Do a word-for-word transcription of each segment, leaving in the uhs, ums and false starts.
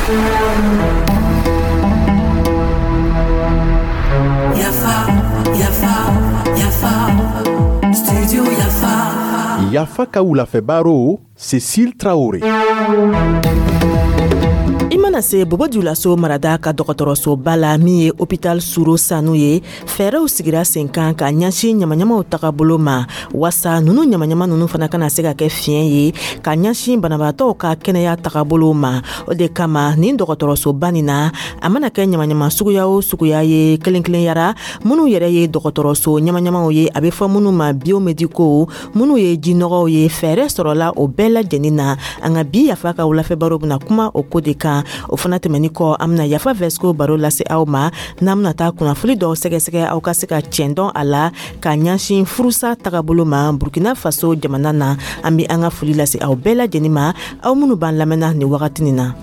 Yafa, Yafa, Yafa, Studio Yafa. Yafa ka wulafɛ baro, Cécile Traoré. I mana se Bobo Julaso marada ka dɔgɔtɔrɔsoba la, min ye Hôpital Suro Sanu ye, fɛɛrɛw sigira sen kan ka ɲɛsin ɲamaɲamaw tagabolo ma, wasa nunu ɲamaɲama nunu fana kana se ka kɛ fiɲɛ ye ka ɲɛsin banabaatɔw ka kɛnɛya tagabolo ma. O de kama, nin dɔgɔtɔrɔsoba nin na, a mana kɛ ɲamaɲama suguya o suguya ye, kelen kelenyara minnu yɛrɛ ye dɔgɔtɔrɔso ɲamaɲamaw ye, a bɛ fɔ minnu ma biomédicaux, minnu ye jinɔgɔw ye, fɛɛrɛ sɔrɔla o bɛɛ lajɛlen na. An ka bi Yafa ka wulafɛ baro bɛna kuma o ko de kan. O fana tɛmɛni kɔ, an bɛna Yafa Vɛsiko baro lase aw ma, n'an bɛna taa kunnafoni dɔw sɛgɛsɛgɛ, aw ka se ka cɛn dɔn a la ka ɲɛsin furusa tagabolo ma Burkina Faso jamana na. An bɛ an ka foli lase aw bɛɛ lajɛlen ma, aw minnu b'an lamɛnna nin wagati nin na.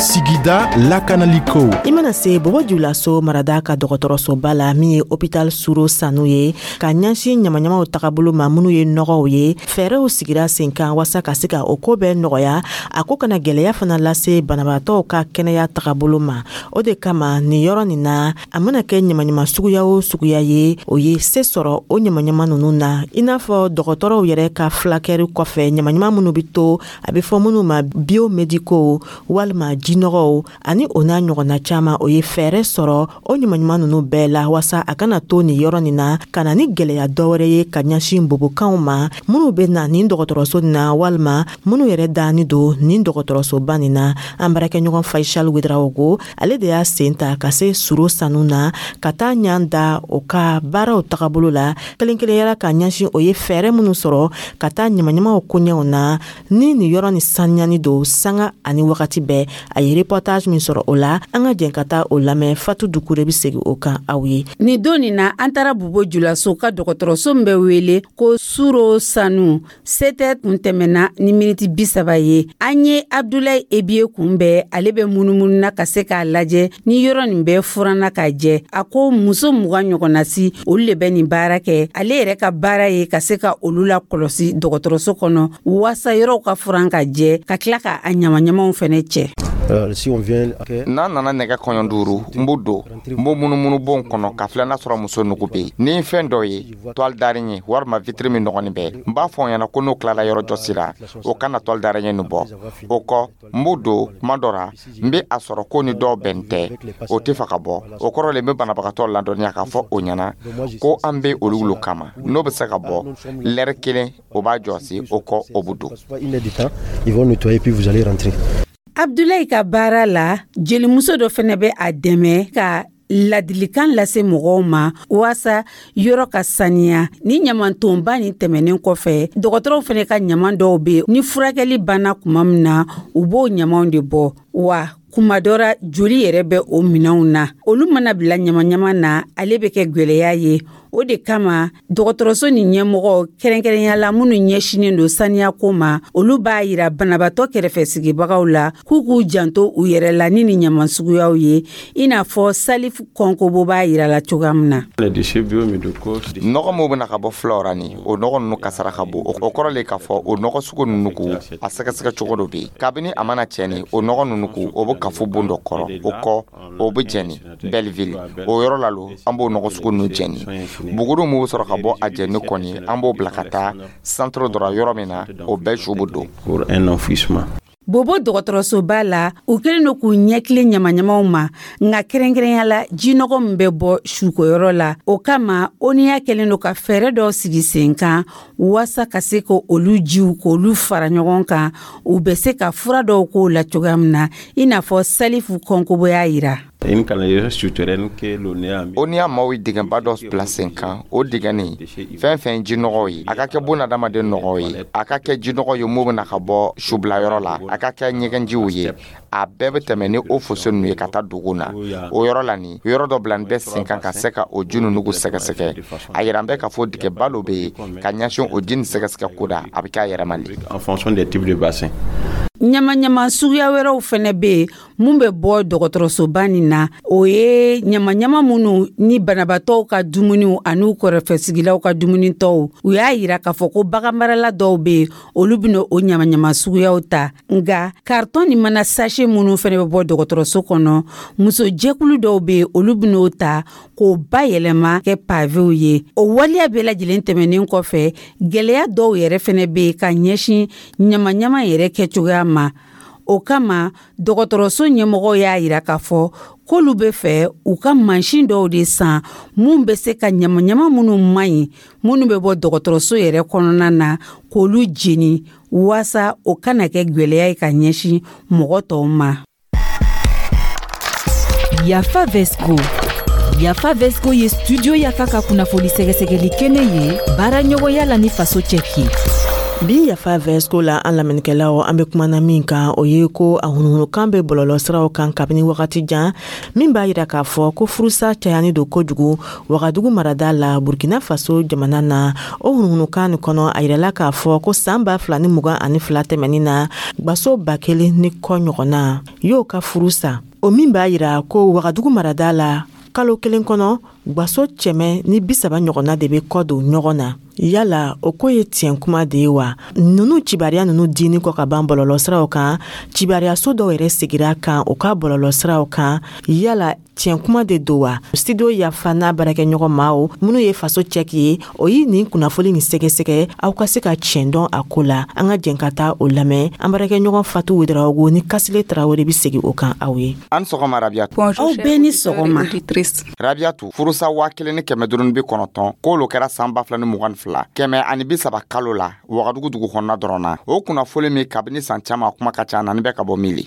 Sigida lakanaliko. I mana se Bobo Julaso marada ka dɔgɔtɔrɔsoba la, min ye Hôpital Suro Sanu ye, ka ɲɛsin ɲamaɲamaw tagabolo ma, minnu ye nɔgɔw ye, fɛɛrɛw sigira sen kan wasa ka se ka o ko bɛɛ nɔgɔya, a ko kana gwɛlɛya fana lase banabaatɔw ka kɛnɛya tagabolo ma. O de kama, nin yɔrɔ nin na, a mana kɛ ɲamaɲama suguya o suguya ye, o ye se sɔrɔ o ɲamaɲama nunu na, i n'a fɔ dɔgɔtɔrɔw yɛrɛ ka fulakɛri kɔfɛ, ɲamaɲama minnu be to, a be fɔ minnu ma biomédicaux walima jinɔgɔw ani o n'a ɲɔgɔnna caaman, o ye fɛɛrɛ sɔrɔ o ɲumanɲuman nunu bɛɛ la, wasa a kana to nin yɔrɔ nin na ka na ni gwɛlɛya dɔwɛrɛ ye ka ɲɛsin bobokanw ma minnu be na nin dɔgɔtɔrɔso nin na, walima minnu yɛrɛ dani don nin dɔgɔtɔrɔsoba nin na. An baarakɛɲɔgɔn Faisal Wedrawogo, ale de y'a sen ta ka se Suro Sanu na, ka taa ɲan da o ka baaraw tagabolo la kelen kelenyara, ka ɲɛsin o ye fɛɛrɛ minnu sɔrɔ ka taa ɲamaɲamaw koɲɛw na, ni nin yɔrɔ ni saniyani don sanga ani wagati bɛɛ. A ye reportage min sɔrɔ o la, an ka jɛn ka taa o lamɛn. Fatu Dukure bɛ segin o kan aw ye. Nin don nin na, an taara Bobo Julaso ka dɔgɔtɔrɔso min bɛ wele ko Suro Sanu. Setɛ kun tɛmɛna ni miniti bi saba ye. An ye Abdulayi Ebiye kunbɛn, ale bɛ munumunu na ka se k'a lajɛ ni yɔrɔ nin bɛɛ furanna ka jɛ. A ko muso mugan ɲɔgɔnna si, olu le bɛ nin baara kɛ. Ale yɛrɛ ka baara ye ka se ka olu la kɔlɔsi dɔgɔtɔrɔso kɔnɔ, waasa yɔrɔw ka furan ka jɛ, ka tila ka a ɲamaɲamaw fɛnɛ cɛ. N'a nana nɛgɛ kɔɲɔ duuru, n b'o don, n b'o munumunu bon kɔnɔ ka filɛ n'a sɔrɔ muso nugu bɛ yen. Ni fɛn dɔ ye toile d'araignée walima vitre min nɔgɔnin bɛ, n b'a fɔ ɲɛna ko n'o tilala yɔrɔ jɔsi la, o kana toile d'araignée nin bɔ. O kɔ, n b'o don. Kuma dɔ ra, n bɛ a sɔrɔ ko ni dɔw bɛn tɛ, o tɛ fɛ ka bɔ. O kɔrɔ le, n bɛ banabagatɔ ladɔnniya k'a fɔ o ɲɛna ko an bɛ olu lo kama. N'o bɛ se ka bɔ lɛrɛ kelen, o b'a jɔsi. O kɔ, o bɛ don. Abdulayi ka baara la, jelimuso dɔ fɛnɛ bɛ a dɛmɛ ka ladilikan lase mɔgɔw ma waasa yɔrɔ ka saniya. Ni ɲamantonba nin tɛmɛnen kɔfɛ, dɔgɔtɔrɔw fɛnɛ ka ɲaman dɔw be, ni furakɛli banna kuma min na, u b'o ɲamanw de bɔ. Wa kuma dɔ ra, joli yɛrɛ bɛ o minɛnw na. Olu mana bila ɲamaɲama na, ale bɛ kɛ gwɛlɛya ye. O de kama, dɔgɔtɔrɔso ni ɲɛmɔgɔ, kɛrɛnkɛrɛnya la minnu ɲɛsinen don saniyako ma, olu b'a yira banabaatɔ kɛrɛfɛ sigibagaw la k'u k'u janto u yɛrɛ la ni ni ɲaman suguyaw ye, i n'a fɔ Salifu Kɔnkobo b'a yira la cogoya min na. Nɔgɔ min bɛna ka bɔ filaw ra, ni o nɔgɔ ninnu kasara ka bon, o kɔrɔ le k'a fɔ o nɔgɔ sugu ninnu ko a sɛgɛsɛgɛ cogo dɔ bɛ yen. Kabini a mana cɛni, o nɔgɔ ninnu ko o bɛ kafo bon dɔ kɔrɔ. O kɔ, o bɛ jɛni Belleville, o yɔrɔ la lo an b'o nɔgɔ sugu ninnu jɛni. Buguru min bɛ sɔrɔ ka bɔ a jɛni kɔni, an b'o bila ka taa centre dɔ la, yɔrɔ min na o bɛɛ su bɛ don. Bobo dɔgɔtɔrɔsoba la, u kɛlen don k'u ɲɛkile ɲamaɲamaw ma, nka kɛrɛnkɛrɛnya la jinɔgɔ min bɛ bɔ sukoyɔrɔ la. O kama, O N I A kɛlen don ka fɛɛrɛ dɔw sigi sen kan waasa ka se ka olu jiw k'olu fara ɲɔgɔn kan, u bɛ se ka fura dɔw k'o la cogoya min na, i n'a fɔ Salifu Kɔnkobo y'a yira. O N I A maaw ye dingɛba dɔ bila sen kan. O dingɛ nin, fɛn fɛn jinɔgɔw ye, a ka kɛ bunadamaden nɔgɔw ye, a ka kɛ jinɔgɔ ye mun bɛna ka bɔ subilayɔrɔ la, a ka kɛ ɲɛgɛnjiw ye, a bɛɛ bɛ tɛmɛ ni o fosse ninnu ye ka taa dugu na. O yɔrɔ la nin, yɔrɔ dɔ bila bɛ sen kan ka se ka o ji ninnu sɛgɛsɛgɛ. A yira an bɛ k'a fɔ dingɛba dɔ bɛ yen ka ɲɛsin o ji nin sɛgɛsɛgɛ ko da, a bɛ kɛ a yɛrɛ ma. Ɲamaɲama suguya wɛrɛw fɛnɛ bɛ yen mun bɛ bɔ dɔgɔtɔrɔsoba nin na. O ye ɲamaɲama minnu ni banabaatɔw ka dumuniw an'u kɛrɛfɛsigilaw ka dumunitɔw. U y'a yira k'a fɔ ko baganmarala dɔw bɛ yen, olu bɛna o ɲamaɲama suguyaw ta. Nka karitɔn ni mana sachet minnu fɛnɛ bɛ bɔ dɔgɔtɔrɔso kɔnɔ, muso jɛkulu dɔw bɛ yen, olu bɛn'o ta k'o bayɛlɛma kɛ pavew ye. O waleya bɛɛ lajɛlen tɛmɛnen kɔfɛ, gɛlɛya dɔw yɛrɛ fɛnɛ bɛ yen ka ɲɛsin ɲamaɲama yɛrɛ kɛcogoya ma. O kama, dɔgɔtɔrɔso ɲɛmɔgɔw y'a yira k'a fɔ k'olu bɛ fɛ u ka mansin dɔw de san mun bɛ se ka ɲamaɲama minnu man ɲi, minnu bɛ bɔ dɔgɔtɔrɔso yɛrɛ kɔnɔna na, k'olu jeni waasa o kana kɛ gwɛlɛya ye ka ɲɛsin mɔgɔ tɔw ma. Yafa Vesco. Yafa Vesco ye Studio Yafa ka kunnafoni sɛgɛsɛgɛli kɛnɛ ye, baara ɲɔgɔnya la ni Faso Cɛki. Bi Yafa Vɛsko la, an lamɛnnikɛlaw, an be kumana min kan, o ye ko a hunuhunukan be bɔlɔlɔ siraw kan kabini wagati jan, min b'a yira k'a fɔ ko furusa cayani don kojugu Wagadugu marada la, Burkina Faso jamana na. O hunuhunukan nin kɔnɔ, a yirala k'a fɔ ko saan ba fila ni mugan ani fila tɛmɛnin na, gwaso ba kelen ni kɔ ɲɔgɔnna y'o ka furu sa. O min b'a yira ko Wagadugu marada la, kalo kelen kɔnɔ, gwaso cɛmɛ ni bisaba ɲɔgɔnna de be kɔ don ɲɔgɔn na. Yala o ko ye tiɲɛ kuma de ye wa? Nunu cibariya nunu dini kɔ ka ban bɔlɔlɔ siraw kan, cibariyaso dɔw yɛrɛ segira kan u ka bɔlɔlɔ siraw kan. Yala tiɲɛ kuma de don wa? Studio Yafa n'a baarakɛɲɔgɔn maaw minnu ye Faso Cɛki ye, o ye nin kunnafoni nin sɛgɛsɛgɛ aw ka se ka tiɲɛ dɔn a ko la. An ka jɛn ka taa o lamɛn. An baarakɛɲɔgɔn Fatu Wedarawogo ni Kasile Tarawele bɛ segin o kan aw ye. An sɔgɔma, Rabiyatu. Aw bɛɛ ni sɔgɔma. Rabiyatu, furusa waa kelen ni kɛmɛ duuru ni bi kɔnɔntɔn, k'olu kɛra san ba fila ni mugan ni fila, kɛmɛ ani bi saba kalo la, Wagadugu dugu kɔnɔna dɔrɔn na. O kunnafoni min kabini san caman kuma ka ca na, ni bɛ ka bɔ mili.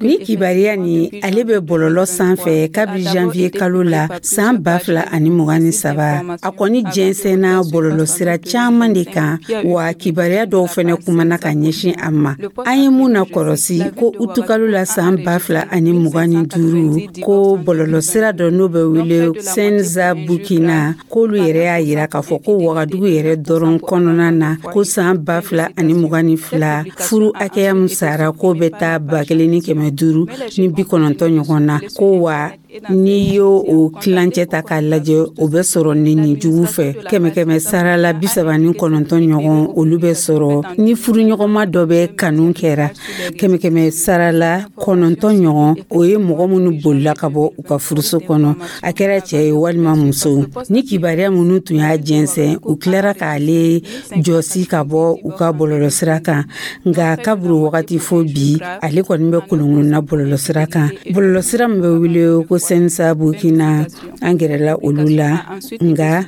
Ni kibariya ni ale bɛ bɔlɔlɔ sanfɛ kabi janvier kalo la san ba fila ani mugan ni saba. A kɔni jɛnsɛnna bɔlɔlɔsira caaman de kan wa, kibariya dɔw fɛnɛ kumana ka ɲɛsin a ma. An ye mun na kɔrɔsi ko utukalo la san ba fila ani mugan ni duuru, ko bɔlɔlɔsira dɔ n'o bɛ wele Senza Burkina, k'olu yɛrɛ y'a yira k'a fɔ ko Wagadugu yɛrɛ dɔrɔn kɔnɔna na, ko san ba fila ani mugan ni fila, furu hakɛya min sara, k'o bɛ taa ba kelen ni kɛmɛ duuru ni bi kɔnɔntɔn ɲɔgɔn na. Ko wa n'i y'o o tilancɛ ta k'a lajɛ, o bɛ sɔrɔ neni jugu fɛ, kɛmɛ kɛmɛ sara la bi saba ni kɔnɔntɔn ɲɔgɔn, olu bɛ sɔrɔ ni furuɲɔgɔnma dɔ bɛ kanu kɛra. Kɛmɛ kɛmɛ sara la kɔnɔntɔn ɲɔgɔn, o ye mɔgɔ minnu bolila ka bɔ u ka furuso kɔnɔ, a kɛra cɛ ye walima muso. Ni kibaruya minnu tun y'a jɛnsɛn, u tilara k'ale jɔsi ka bɔ u ka bɔlɔlɔsira kan. Nka kaburu wagati fo bi, ale kɔni bɛ kolonkolonna bɔlɔlɔsira kan, bɔlɔlɔsira min bɛ wele ko Sɛnsa Burkina. An gɛrɛla olu la, nka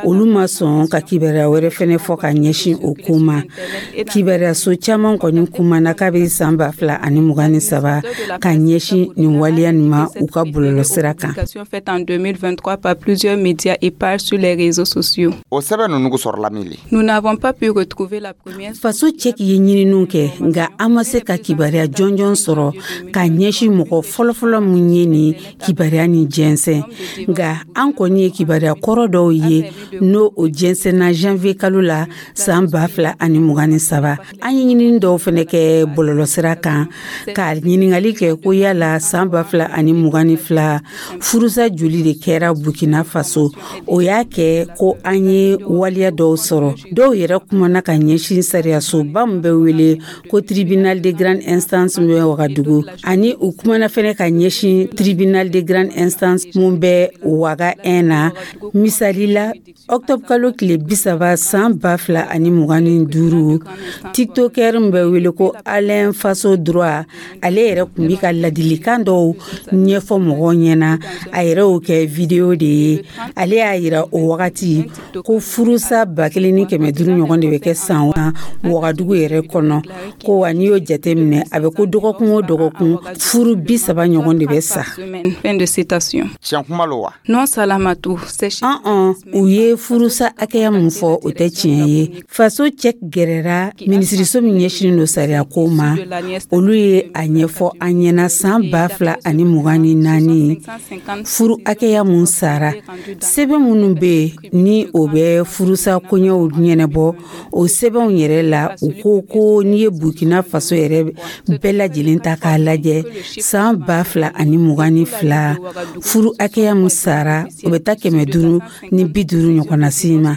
olu ma sɔn ka kibaruya wɛrɛ fɛnɛ fɔ ka ɲɛsin o ko ma. Kibaruyaso caman kɔni kumana kabi san ba fila ani mugan ni saba ka ɲɛsin nin waleya nin ma u ka bɔlɔlɔsira kan. Faite en deux mille vingt-trois par plusieurs médias et pages sur les réseaux sociaux. O sɛbɛn ninnu sɔrɔla min le? Nous n'avons pas pu retrouver la première. Faso Cɛki ye ɲininiw kɛ, nka an ma se ka kibaruya jɔnjɔn sɔrɔ ka ɲɛsin mɔgɔ fɔlɔfɔlɔ mun ye nin kibaruya ni jɛnsɛn. Nka an kɔni ye kibaruya kɔrɔ dɔw ye, n'o o jɛnsɛnna janvier kalo la san ba fila ani mugan ni saba. An ye ɲinini dɔw fɛnɛ kɛ bɔlɔlɔsira kan ka ɲiningali kɛ ko yala san ba fila ani mugan ni fila, furusa joli de kɛra Burkina Faso? O y'a kɛ ko an ye waleya dɔw sɔrɔ. Dɔw yɛrɛ kumana ka ɲɛsin sariyasoba min bɛ wele ko Tribunal de grande instance min bɛ Wagadugu, ani u kumana fɛnɛ ka ɲɛsin Tribunal de grande instance mun bɛ Waga un na. Misali la, octobre kalo tile bi saba san ba fila ani mugan ni duuru, tiktoker min bɛ wele ko Alain Faso Droit, ale yɛrɛ kun bi ka ladilikan dɔw ɲɛfɔ mɔgɔw ɲɛna. A yɛrɛ y'o kɛ vidéo de ye. Ale y'a yira o wagati ko furusa ba kelen ni kɛmɛ duuru ɲɔgɔn de bɛ kɛ san Wagadugu yɛrɛ kɔnɔ. Ko wa n'i y'o jateminɛ, a bɛ ko dɔgɔkun o dɔgɔkun, furu bi saba ɲɔgɔn de bɛ sa. Fin de citation. Tiɲɛ kuma lo wa? Non, Salamatou, c'est An an u ye furusa hakɛya mun fɔ, o tɛ tiɲɛ ye. Faso cɛ gɛrɛra minisiriso min ɲɛsinin don sariya ko ma, olu ye a ɲɛfɔ an ɲɛna san ba fila ani mugan ni naani, furu hakɛya mun sara. Sɛbɛn minnu bɛ yen ni o bɛ furusa koɲɛw ɲɛnabɔ, o sɛbɛnw yɛrɛ la, u ko ko n'i ye Burkina Faso yɛrɛ bɛɛ lajɛlen ta k'a lajɛ, san ba fila ani mugan ni fila, furu hakɛya mun sara, o bɛ taa kɛmɛ duuru ni bi duuru ɲɔgɔnna si ma.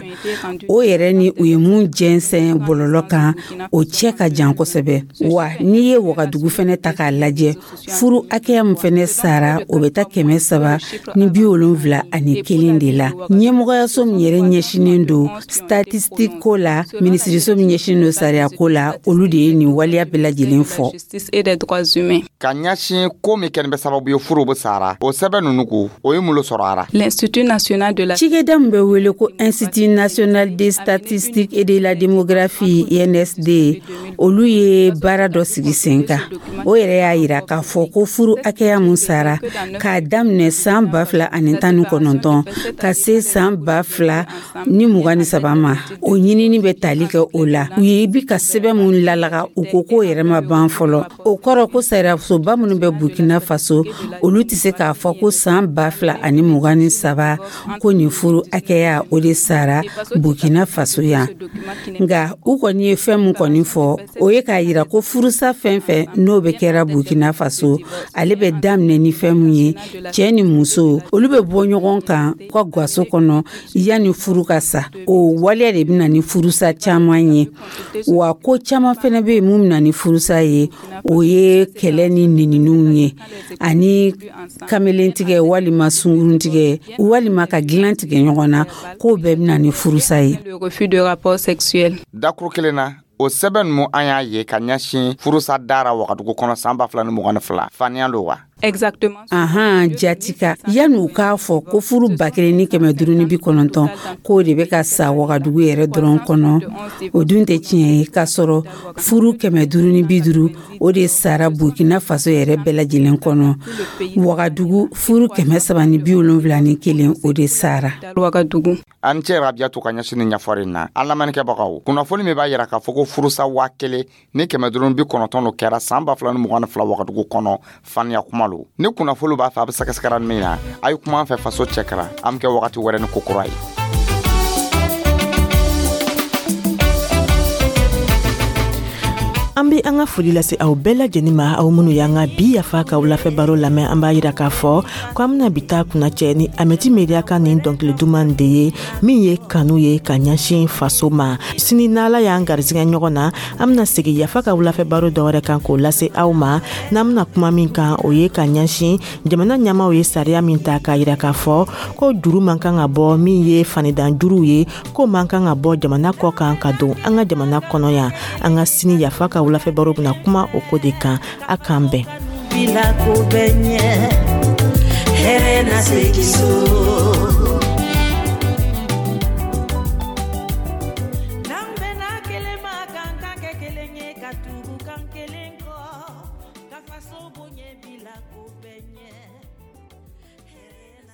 O yɛrɛ ni u ye mun jɛnsɛn bɔlɔlɔ kan, o cɛ ka jan kosɛbɛ. Wa n'i ye Wagadugu fɛnɛ ta k'a lajɛ, furu hakɛya min fɛnɛ sara, o bɛ taa kɛmɛ saba ni bi wolonfila ani kelen de la. Ɲɛmɔgɔyaso min yɛrɛ ɲɛsinen don statistique ko la, minisiriso min ɲɛsinen don sariya ko la, olu de ye nin waleya bɛɛ lajɛlen fɔ. Justice et des droits humains. Ka ɲɛsin ko min kɛlen bɛ sababu ye furu bɛ sara, o sɛbɛn ninnu ko, o ye mun lo sɔrɔ a ra? L'Institut national de la Cikɛda min bɛ wele ko Institut national des statistiques et de la démographie, I N S D, olu ye baara dɔ sigi sen kan. O yɛrɛ y'a yira k'a fɔ ko furu hakɛya mun sara k'a daminɛ san ba fila ani tan ni kɔnɔntɔn ka se san ba fila ni mugan ni saba ma, o ɲinini bɛ tali kɛ o la. U ye bi ka sɛbɛn mun lalaga, u ko k'o yɛrɛ ma ban fɔlɔ. O kɔrɔ ko sariyasoba minnu bɛ Burkina Faso, olu tɛ se k'a fɔ ko san ba fila ani mugan ni saba, ko nin furu hakɛya, o de sara Burkina Faso yan. Nka u kɔni ye fɛn mun kɔni fɔ, o ye k'a yira ko furusa fɛn fɛn n'o bɛ kɛra Burkina Faso, ale bɛ daminɛ ni fɛn mun ye, cɛɛ ni muso, olu bɛ bɔ ɲɔgɔn kan u ka gaso kɔnɔ yanni furu ka sa. O waleya de bɛ na ni furusa caman ye. Wa ko caman fɛnɛ bɛ yen mun bɛ na ni furusa ye, o ye kɛlɛ ni neniniw ye, ani kamelentigɛ walima sunguruntigɛ walima ka dilan tigɛ ɲɔgɔn na, k'o bɛɛ bɛ na ni furusa ye. Le refus de rapport sexuel. Dakuru kelen na, o sɛbɛn ninnu an y'a ye ka ɲɛsin furusa dara Wagadugu kɔnɔ san ba fila ni mugan ni fila, faniya lo wa? Exactement. Ahan, jatika yanni u k'a fɔ ko furu ba kelen ni kɛmɛ duuru ni bi kɔnɔntɔn, k'o de bɛ ka sa Wagadugu yɛrɛ dɔrɔn kɔnɔ, o dun tɛ tiɲɛ ye, k'a sɔrɔ furu kɛmɛ duuru ni bi duuru, o de sara Burkina Faso yɛrɛ bɛɛ lajɛlen kɔnɔ. Wagadugu, furu kɛmɛ saba ni bi wolonfila ni kelen, o de sara. Ouagadougou. An cɛ Rabiyatu ka ɲɛsin ni ɲɛfɔri na. An lamɛnnikɛbagaw, kunnafoni min b'a yira k'a fɔ ko furusa waa kelen ni kɛmɛ duuru bi kɔnɔntɔn lo kɛra san ba fila ni mugan ni fila Wagadugu kɔnɔ, faniya kuma lo. Ni kunnafoni b'a fɛ a bɛ sɛgɛsɛgɛra min na, a ye kuma an fɛ Faso cɛ kɛra. An bɛ kɛ wagati wɛrɛ ni ko kura ye. An be an ka foli lase aw bɛɛ lajɛnin ma, aw minnu y'an ka bi Yafa ka wulafɛ baro lamɛn. An b'a yira k'a fɔ ko an bena bi ta kunnacɛ ni Amɛti Mediya ka nin dɔnkili duman de ye, min ye kanu ye ka ɲɛsin faso ma. Sini, n'Ala y'an garisɛgɛ ɲɔgɔn na, an bena segi Yafa ka wulafɛ baro dɔwɛrɛ kan k'o lase aw ma. N'an bena kuma min kan, o ye ka ɲɛsin jamana ɲɛmaw ye sariya min ta k'a yira k'a fɔ ko juru man kan ka bɔ, min ye fanidan juruw ye, ko man kan ka bɔ jamana kɔ kan ka don an ka jamana kɔnɔ yan. An ka sini Yafa ka wulafɛ baro bena kuma o ko de kan. A k'an bɛn. Bila ko bɛ ɲɛ, hɛrɛ na segin so. N'an bɛnna kelen ma, k'an ta kɛ kelen ye, ka tugu kan kelen kɔ, ka faso bonya, bila ko bɛ ɲɛ.